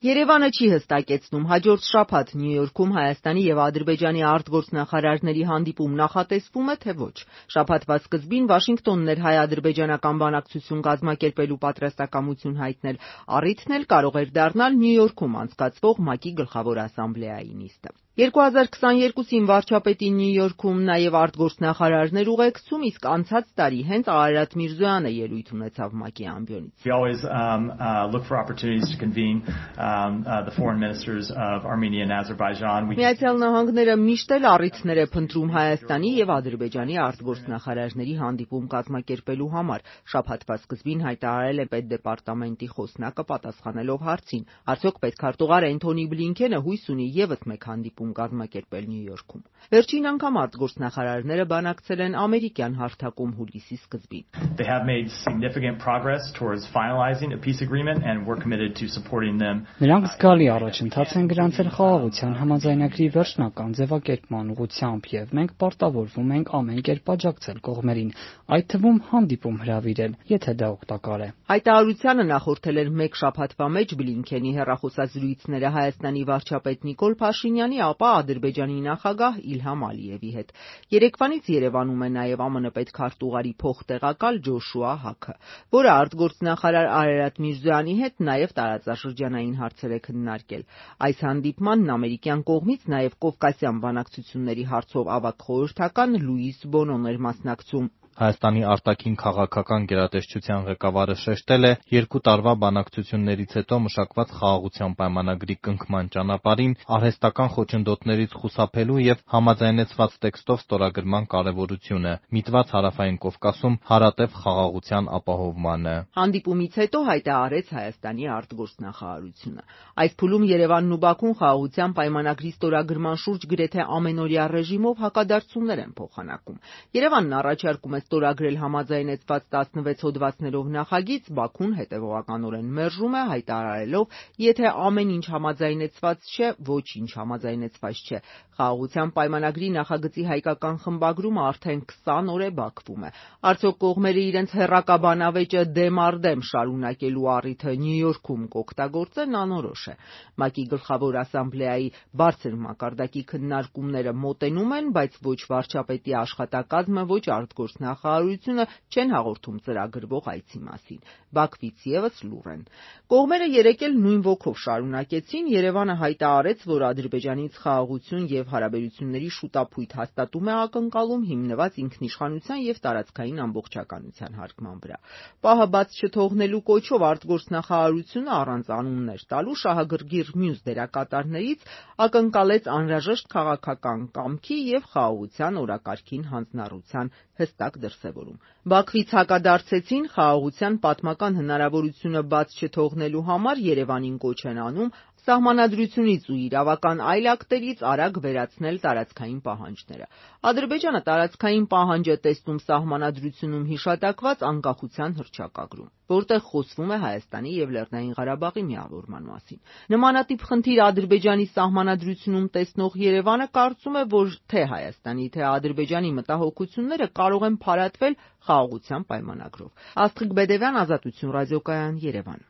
Երևանը չի հստակեցնում հաջորդ շաբաթ Նյու Յորքում Հայաստանի եւ Ադրբեջանի արտգործնախարարների հանդիպում նախատեսվում է, թե ոչ։ Շաբաթվա սկզբին Վաշինգտոնն էր հայ-ադրբեջանական բանակցություն կազմակերպելու պատրաստակամություն հայտնել, առիթն էլ կարող էր դառնալ Նյու Յորքում անցկացվող ՄԱԿ-ի գլխավոր ասամբլեայի նիստը։ 2022-ին վարչապետի Նյու Յորքում նաև արտգործնախարարներ ուղեկցում, իսկ անցած տարի հենց Արարատ Միրզոյանը ելույթ ունեցավ ՄԱԿ-ի ամբիոնից։ We always look for opportunities to convene the foreign ministers of Armenia and Azerbaijan. Միացյալ Նահանգները միշտ էլ առիթներ է փնտրում Հայաստանի եւ Ադրբեջանի արտգործնախարարների հանդիպում կազմակերպելու համար։ Շաբաթվա սկզբին հայտարարել է պետդեպարտամենտի խոսնակը պատասխանելով հարցին, արդյոք պետքարտուղար Էնթոնի Բլինքենը հույս ունի եւս մեկ հանդիպում կազմակերպել Նյու Յորքում։ Վերջին անգամ արտգործնախարարները բանակցել են ամերիկյան հարթակում հուլիսի սկզբին։ They have made significant progress towards finalizing a peace agreement and we're committed to supporting them. Նրանք զգալի առաջընթաց են գրանցել խաղաղության համաձայնագրի վերջնական ձևակերպման ուղղությամբ եւ մենք պարտավորվում ենք ամեն կերպ աջակցել կողմերին, այդ թվում հանդիպում հրավիրել, եթե դա օգտակար է։ Հայտարարությանը նախորդել էր մեկ շաբաթվա մեջ Բլինքենի հեռախոսազրույցները Հայաստանի վարչապետ Նիկոլ Փաշինյանի, ապա Ադրբեջանի նախագահ Իլհամ Ալիևի հետ։ Երեկվանից Երևանում է նաև ԱՄՆ պետքարտուղարի փոխտեղակալ Ջոշուա Հաքը, որը արտգործնախարար Արարատ Միրզոյանի հետ նաև տարածաշրջանային հարցեր է քննարկել։ Այս հանդիպմանն ամերիկյան կողմից նաև Կովկասյան բանակցությունների հարցով ավագ խորհրդական Լուիս Բոնոն էր մասնակցում։ Հայաստանի արտաքին քաղաքական գերատեսչության ղեկավարը շեշտել է, 2 տարվա բանակցություններից հետո մշակված խաղաղության պայմանագրի կնքման ճանապարհին արհեստական խոչընդոտներից խուսափելու եւ համաձայնեցված տեքստով ստորագրման կարեւորությունը, միտված Հարավային Կովկասում հարատև խաղաղության ապահովմանը։ Հանդիպումից հետո հայտարարեց Հայաստանի արտգործնախարարությունը։ Այս փուլում Երևանն ու Բաքուն խաղաղության պայմանագրի ստորագրման շուրջ գրեթե ամենօրյա ռեժիմով հակադարձումներ են փոխանակում։ Երևանն առաջարկում է ստորագրել համաձայնեցված 16 հոդվածներով նախագիծ, Բաքուն հետևողականորեն մերժում է, հայտարարելով, եթե ամեն ինչ համաձայնեցված չէ, ոչինչ համաձայնեցված չէ։ Խաղաղության պայմանագրի նախագծի հայկական խմբագրումը արդեն 20 օր է բախվում է։ Արդյոք կողմերը իրենց հեռակաբանավեճը դեմ առ դեմ շարունակելու առիթը Նյու Յորքում կօգտագործեն, անորոշ է։ ՄԱԿ-ի գլխավոր ասամբլեայի բարձր մակարդակի քննարկումները մոտենում են, բայց ոչ վարչապետի աշխատակազմը, ոչ արտգործնախարարությունը չեն հաղորդում ծրագրվող այցի մասին։ Բաքվից եւս լուռ են։ Կողմերը երեկ էլ նույն ոգով շարունակեցին։ Երևանը հայտարարեց, որ Ադրբեջանից խաղաղություն եւ հարաբերությունների շուտապույտ հաստատում է ակնկալում, հիմնված ինքնիշխանության եւ տարածքային ամբողջականության հարգման վրա։ Պահը բաց չթողնելու կոչով արտգործնախարարությունը առանց անուններ տալու շահագրգիռ մյուս դերակատարներից ակնկալեց անհրաժեշտ քաղաքական կամքի եւ խաղաղության օրակարգին հանձնառության հստակ դրսևորում։ Բաքվից հակադարձեցին խաղաղության պատմական հնարավորությունը բաց չթողնելու համար Երևանին կոչ են անում Սահմանադրությունից ու իրավական այլ ակտերից արագ վերացնել տարածքային պահանջները։ Ադրբեջանը տարածքային պահանջ է տեսնում Սահմանադրությունում հիշատակված անկախության հռչակագրում, որտեղ խոսվում է Հայաստանի եւ Լեռնային Ղարաբաղի միավորման մասին։ Նմանատիպ խնդիր Ադրբեջանի Սահմանադրությունում տեսնող Երևանը կարծում է, որ թե Հայաստանի, թե Ադրբեջանի մտահոգությունները կարող են փարատվել խաղաղության պայմանագրով։ Աստղիկ Բեդևյան, Ազատություն ռադիոկայան, Երևան։